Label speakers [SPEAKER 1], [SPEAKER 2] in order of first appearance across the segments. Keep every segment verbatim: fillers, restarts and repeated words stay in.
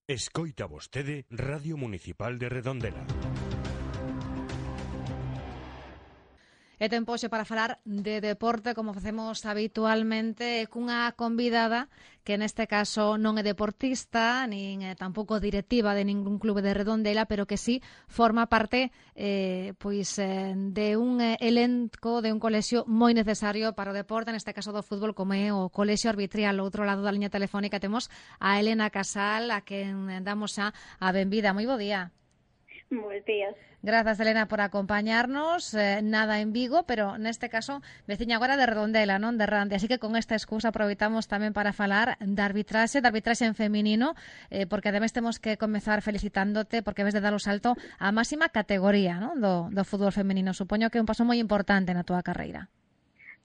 [SPEAKER 1] Escoita vostede Radio Municipal de Redondela.
[SPEAKER 2] E tempo xe para falar de deporte, como facemos habitualmente, cunha convidada que neste caso non é deportista, nin é tampouco directiva de ningún clube de Redondela, pero que sí forma parte eh, pois eh, de un elenco, de un colexio moi necesario para o deporte, neste caso do fútbol, como é o Colexio Arbitrial. Ao outro lado da liña telefónica temos a Elena Casal, a quen damos xa a benvida. Moi bo día.
[SPEAKER 3] Buenos días.
[SPEAKER 2] Grazas, Elena, por acompañarnos. Eh, nada en Vigo, pero neste caso veciña agora de Redondela, non de Rande. Así que con esta excusa aproveitamos tamén para falar de arbitraxe, de arbitraxe en feminino, eh, porque ademais temos que comezar felicitándote porque ves de dar o salto á máxima categoría, non, do, do fútbol feminino. Supoño que é un paso moi importante na túa carreira.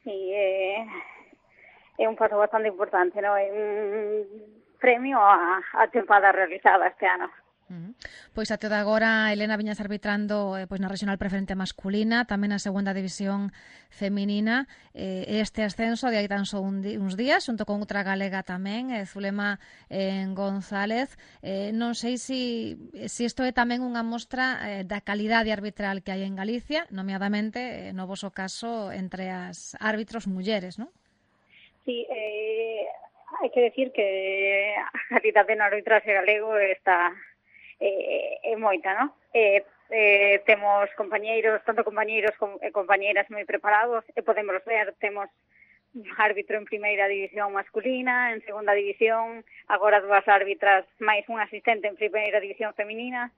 [SPEAKER 3] Sí, é, é un paso bastante importante, non? É un premio a, a tempada realizada este ano.
[SPEAKER 2] Uh-huh. Pois até de agora, Elena, viñas arbitrando eh, pois na regional preferente masculina, tamén na segunda división feminina, eh, este ascenso de aí tan só un di, uns días, xunto con outra galega tamén, eh, Zulema eh, González. Eh, non sei se si, si isto é tamén unha mostra eh, da calidade arbitral que hai en Galicia, nomeadamente, eh, no voso caso, entre as árbitros mulleres, non?
[SPEAKER 3] Sí, eh, hai que decir que a calidade no arbitraxe galego está... É, é moita, non? Eh, eh, temos compañeiros, tanto compañeiros como eh, compañeiras moi preparados, e podemos ver, temos árbitro en primeira división masculina, en segunda división, agora dúas árbitras máis un asistente en primeira división feminina.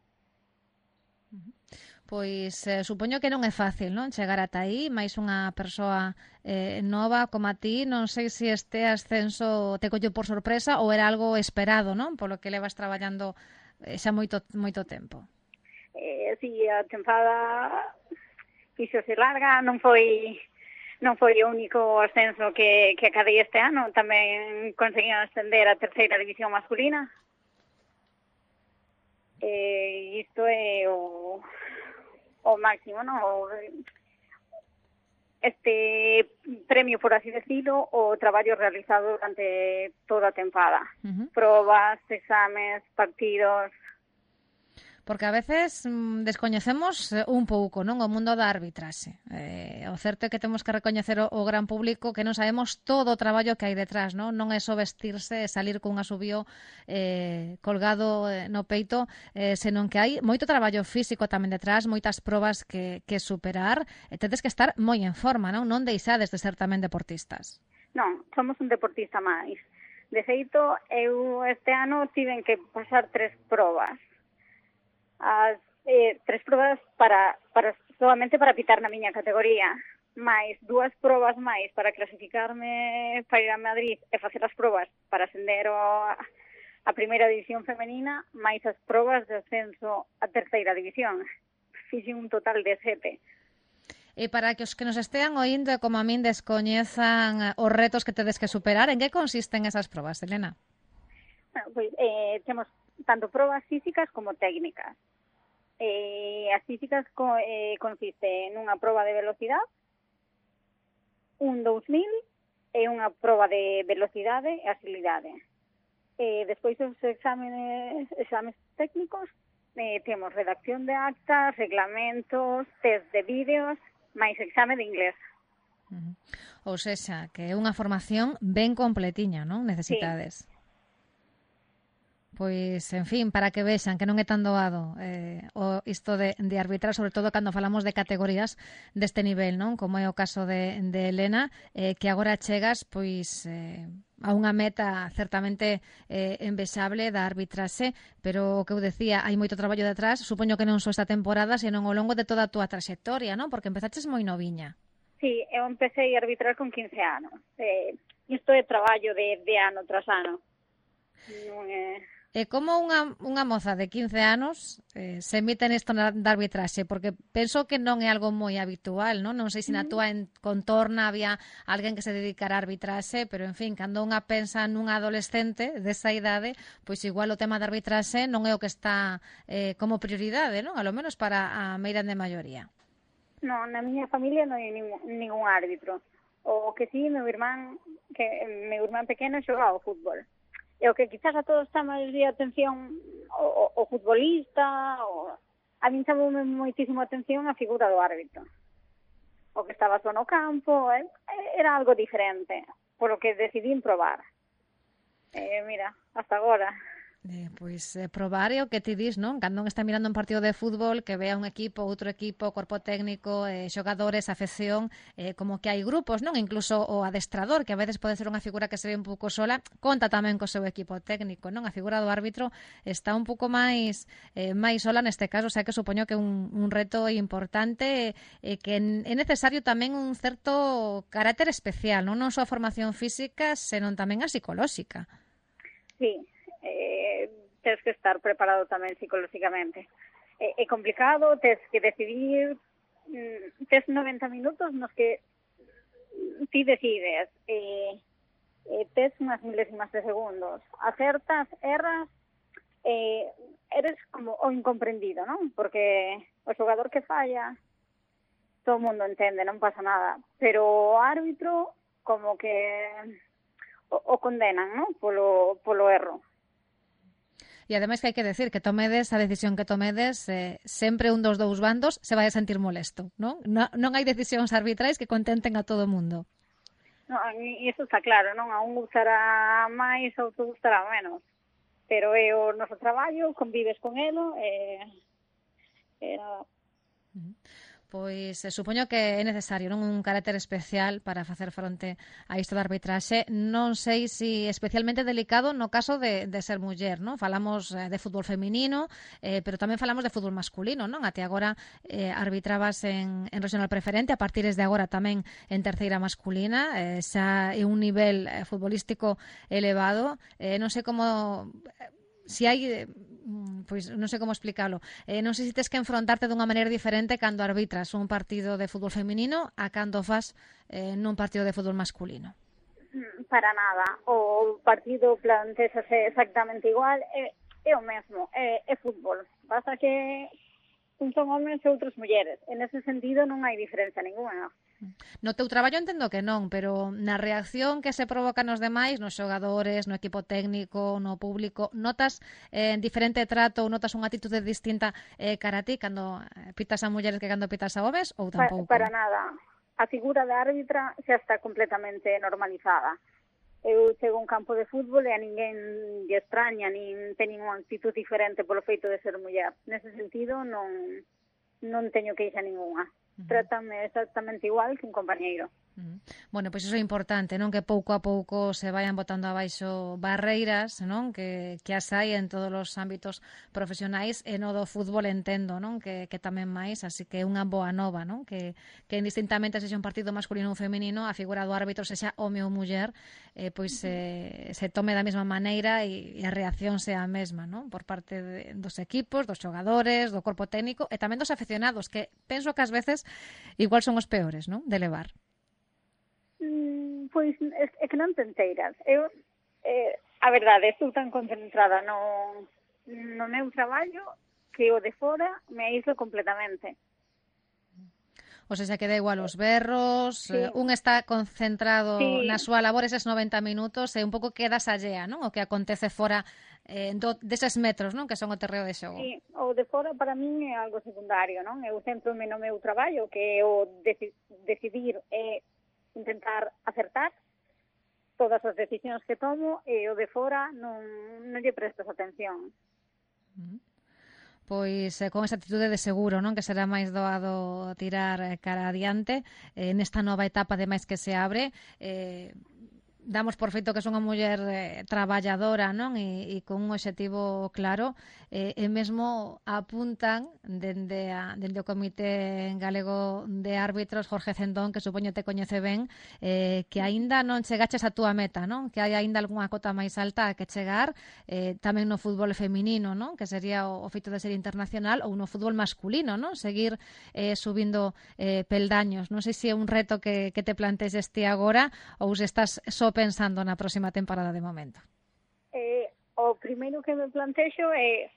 [SPEAKER 2] Pois eh, supoño que non é fácil, non? Chegar ata aí, máis unha persoa eh, nova como a ti, non sei se este ascenso te colleu por sorpresa ou era algo esperado, non? Polo que levas traballando xa moito moito tempo.
[SPEAKER 3] Eh, si, a tempada fixose larga, non foi non foi o único ascenso que, que acadei este ano, tamén conseguían ascender a terceira división masculina. Eh, isto é o, o máximo, non? O, este premio, por así decirlo, o traballo realizado durante toda a tempada. Uh-huh. Probas, exames, partidos...
[SPEAKER 2] Porque a veces mm, descoñecemos un pouco, non, o mundo da arbitraxe. Eh, o certo é que temos que recoñecer o, o gran público que non sabemos todo o traballo que hai detrás, non? Non é só vestirse e salir cun asubío eh, colgado eh, no peito, eh, senón que hai moito traballo físico tamén detrás, moitas probas que, que superar, e tedes que estar moi en forma, non? Non deixades de ser tamén deportistas.
[SPEAKER 3] Non, somos un deportista máis. De feito, eu este ano tiven que pasar tres probas. As eh, tres probas para, para solamente para pitar na miña categoría, máis dúas probas máis para clasificarme para ir a Madrid e facer as probas para ascender a, a primeira división femenina, máis as probas de ascenso a terceira división. Fixen un total de sete.
[SPEAKER 2] E para que os que nos estean oindo e como a min descoñezan os retos que tedes que superar, en que consisten esas probas, Elena?
[SPEAKER 3] Bueno, pois eh, temos tanto probas físicas como técnicas. Eh, as físicas co, eh, consiste nunha proba de velocidade, un dous mil e unha proba de velocidade e agilidade. Eh, despois os exámenes, exames técnicos, eh, temos redacción de actas, reglamentos, test de vídeos, máis exame de inglés.
[SPEAKER 2] Uh-huh. Ou sexa, que é unha formación ben completiña, non? Necesitades. Sí. Pois, en fin, para que vexan que non é tan doado eh, o isto de, de arbitrar, sobre todo cando falamos de categorías deste nivel, non? Como é o caso de, de Elena, eh, que agora chegas pois eh, a unha meta certamente eh, envexable da arbitraxe, pero o que eu decía, hai moito traballo detrás, supoño que non só esta temporada, senón ao longo de toda a túa traxectoria, non? Porque empezaches moi noviña.
[SPEAKER 3] Sí, eu empecé a arbitrar con quince anos. Eh, isto é traballo de, de ano tras ano. Non é...
[SPEAKER 2] E como unha, unha moza de quince anos eh, se emite nisto da arbitraxe? Porque penso que non é algo moi habitual, non? Non sei se na túa contorna había alguén que se dedicara a arbitraxe, pero, en fin, cando unha pensa nunha adolescente desa idade, pois igual o tema da arbitraxe non é o que está eh, como prioridade, non? A lo menos para a meirande de maioría.
[SPEAKER 3] Non, na miña familia non hai ningún, ningún árbitro. O que sí, meu irmán, que meu irmán pequeno xogaba ao fútbol. E o que quizás a todos chama de atención o, o, o futbolista, o, a min chamoume moitísimo a atención a figura do árbitro. O que estaba só no campo, eh, era algo diferente, polo que decidí probar. Eh, mira, hasta agora.
[SPEAKER 2] Eh, pois eh, probar é o que ti dis, non? Cando non está mirando un partido de fútbol, que vea un equipo, outro equipo, corpo técnico, eh, xogadores, afección, eh, como que hai grupos, non? Incluso o adestrador, que a veces pode ser unha figura que se ve un pouco sola, conta tamén co seu equipo técnico, non? A figura do árbitro está un pouco máis eh, máis sola neste caso, o sea que supoño que é un, un reto importante e eh, que é necesario tamén un certo carácter especial, non? Non só a formación física, senón tamén a psicolóxica.
[SPEAKER 3] Sí, eh, tens que estar preparado tamén psicolóxicamente. É, é complicado, tens que decidir, mm, tens noventa minutos nos que ti decides, eh, eh, tens unhas milésimas de segundos, acertas, erras, eh, eres como o incomprendido, non? Porque o xogador que falla, todo o mundo entende, non pasa nada, pero o árbitro como que o, o condenan, non? Polo, polo erro.
[SPEAKER 2] E ademais que hai que decir que tomedes a decisión que tomedes, eh, sempre un dos dous bandos se vai a sentir molesto, non? Non, non hai decisións arbitrais que contenten a todo o mundo.
[SPEAKER 3] No, e iso está claro, non? A un gustará máis, a outro gustará menos. Pero é o noso traballo, convives con elo, e, e nada.
[SPEAKER 2] Uh-huh. Pois eh, supoño que é necesario, non, un carácter especial para facer fronte a isto da arbitraxe. Non sei se especialmente delicado no caso de, de ser muller, non? Falamos eh, de fútbol feminino, eh, pero tamén falamos de fútbol masculino, non? Até agora eh, arbitrabas en, en regional preferente, a partir de agora tamén en terceira masculina, eh, xa é un nivel eh, futbolístico elevado. Eh, non sei como... Si hai, pois non sei como explicarlo, eh, non sei se tes que enfrontarte dunha maneira diferente cando arbitras un partido de fútbol feminino a cando faz eh, nun partido de fútbol masculino.
[SPEAKER 3] Para nada, o partido plantéase exactamente igual, é, é o mesmo, é, é fútbol, pasa que un son homens e outros mulleres, en ese sentido non hai diferencia ninguna.
[SPEAKER 2] No teu traballo entendo que non, pero na reacción que se provoca nos demais, nos xogadores, no equipo técnico, no público, notas eh, diferente trato ou notas unha atitude distinta eh, cara a ti cando pitas a mulleres que cando pitas a homes ou tampouco?
[SPEAKER 3] Pa, para nada. A figura de árbitra xa está completamente normalizada. Eu chego a un campo de fútbol e a ninguén lle extraña, nin ten ninguna actitud diferente polo feito de ser muller. Nese sentido non, non teño queixa ninguna. Trátame exactamente igual que un compañeiro.
[SPEAKER 2] Uh-huh. Bueno, pois pues iso é importante, non? Que pouco a pouco se vayan botando abaixo barreiras, non? Que, que as hai en todos os ámbitos profesionais e no do fútbol entendo, non? Que, que tamén máis, así que é unha boa nova, non? Que, que indistintamente sexa un partido masculino ou feminino, a figura do árbitro sexa home ou muller, eh, pois uh-huh. eh, se tome da mesma maneira e, e a reacción sea a mesma, non? Por parte de, dos equipos, dos xogadores, do corpo técnico e tamén dos afeccionados, que penso que ás veces igual son os peores, non? De levar.
[SPEAKER 3] Mm, pois é, é que non te enteiras. Eu, eh, a verdade, estou tan concentrada no, no meu traballo que o de fora me aíslo completamente.
[SPEAKER 2] O sea, que da igual os berros, sí. eh, un está concentrado sí. na súa labor eses noventa minutos e un pouco quedas allea, non? O que acontece fora eh, do, deses metros, non? Que son o terreo de xogo.
[SPEAKER 3] Sí, o de fora para min é algo secundario, non? Eu centro-me no meu traballo, que é o deci- decidir e intentar acertar todas as decisións que tomo e o de fora non, non lle prestas atención.
[SPEAKER 2] Uh-huh. Pois eh, con esa actitude de seguro, non? Que será máis doado tirar eh, cara adiante eh, nesta nova etapa ademais que se abre. Eh, damos por feito que son unha muller eh, traballadora, non? E, e con un obxectivo claro, eh, e mesmo apuntan dende, a, dende o Comité Galego de Árbitros, Jorge Cendón, que supoño te coñece ben, eh, que aínda non chegaches a túa meta, non? Que hai aínda algunha cota máis alta a que chegar, eh, tamén no fútbol feminino, non? Que sería o, o feito de ser internacional, ou no fútbol masculino, non? Seguir eh, subindo eh, peldaños. Non sei se é un reto que, que te plantees este agora ou se estás só pensando na próxima temporada de momento.
[SPEAKER 3] Eh, o primeiro que me plantexo é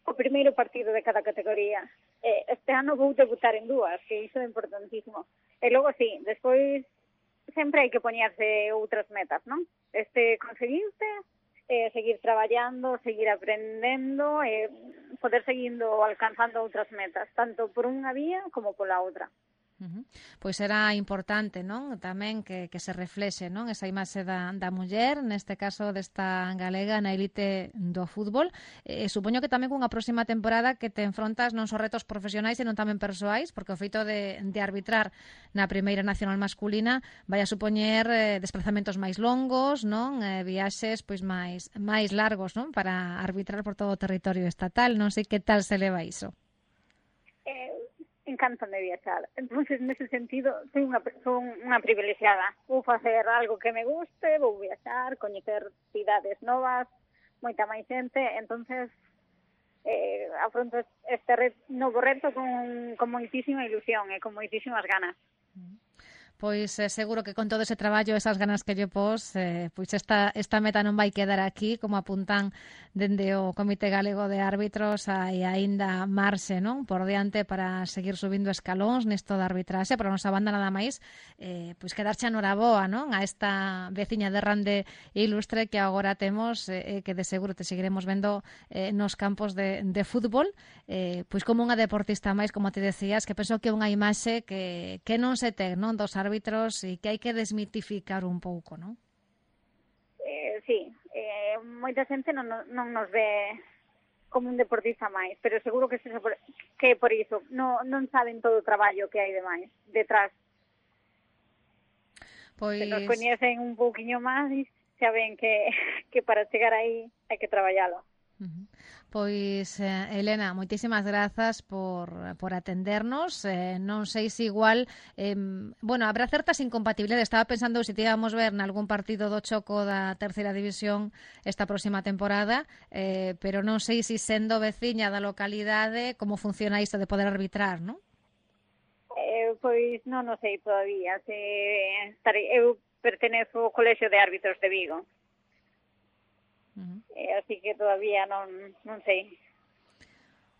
[SPEAKER 3] o primeiro partido de cada categoría. Eh, este ano vou debutar en dúas, que iso é importantísimo. E logo, sí, despois sempre hai que poñerse outras metas, non? Este conseguirte eh, seguir traballando, seguir aprendendo e eh, poder seguindo alcanzando outras metas, tanto por unha vía como pola outra.
[SPEAKER 2] Uh-huh. Pois era importante, non? Tamén que, que se reflexe, non? Esa imaxe da, da muller, neste caso desta galega na elite do fútbol. Eh, supoño que tamén cunha próxima temporada que te enfrontas non só retos profesionais, senón tamén persoais, porque o feito de, de arbitrar na primeira nacional masculina vai a supoñer eh, desplazamentos máis longos, non? Eh, viaxes pois máis máis largos, non? Para arbitrar por todo o territorio estatal. Non sei que tal se leva iso.
[SPEAKER 3] Eh, encántame viaxar. Entonces, nese sentido, soy unha son unha privilexiada. Vou facer algo que me guste, vou viaxar, coñecer cidades novas, moita máis xente, entonces eh, afronto este ret, novo reto con, con moitísima ilusión e con moitísimas ganas.
[SPEAKER 2] Pois eh, seguro que con todo ese traballo, esas ganas que lle pos, eh, pois esta, esta meta non vai quedar aquí, como apuntan dende o Comité Galego de Árbitros, hai aínda marxe, non? Por diante para seguir subindo escalóns nesto da arbitraxe, pero a nosa banda nada máis, eh, pois quedarche noraboa, non? A esta veciña de Rande ilustre que agora temos, eh, que de seguro te seguiremos vendo eh, nos campos de, de fútbol, eh, pois como unha deportista máis, como te decías, que penso que é unha imaxe que, que non se ten, non? Dos árbitros e que hai que desmitificar un pouco, non?
[SPEAKER 3] Eh, sí, eh, moita xente non, non nos ve como un deportista máis, pero seguro que, se, que por iso non, non saben todo o traballo que hai de máis detrás. Pois... Se nos coñecen un pouquiño máis, xa ven que, que para chegar aí hai que traballalo.
[SPEAKER 2] Uh-huh. Pois, eh, Elena, moitísimas grazas por, por atendernos. Eh, non sei se igual, eh, bueno, habrá certas incompatibilidades. Estaba pensando se te íbamos ver nalgún partido do Choco da terceira división esta próxima temporada, eh, pero non sei se sendo veciña da localidade como funciona isto de poder arbitrar, non?
[SPEAKER 3] Eh, pois non o sei todavía. Se estarei, eu pertenezo ao Colexio de Árbitros de Vigo. Uh-huh. Eh, así que todavía non, non sei.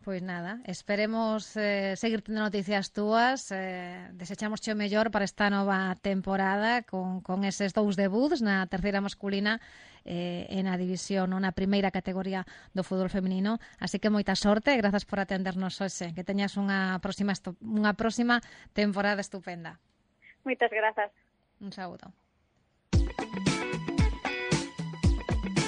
[SPEAKER 2] Pois nada, esperemos eh, seguir tendo noticias túas, eh, desechamos o mellor para esta nova temporada con, con eses dous debuts na terceira masculina eh, e na división, na primeira categoría do fútbol feminino, así que moita sorte e grazas por atendernos hoxe, que teñas unha próxima, unha próxima temporada estupenda.
[SPEAKER 3] Moitas grazas.
[SPEAKER 2] Un saúdo.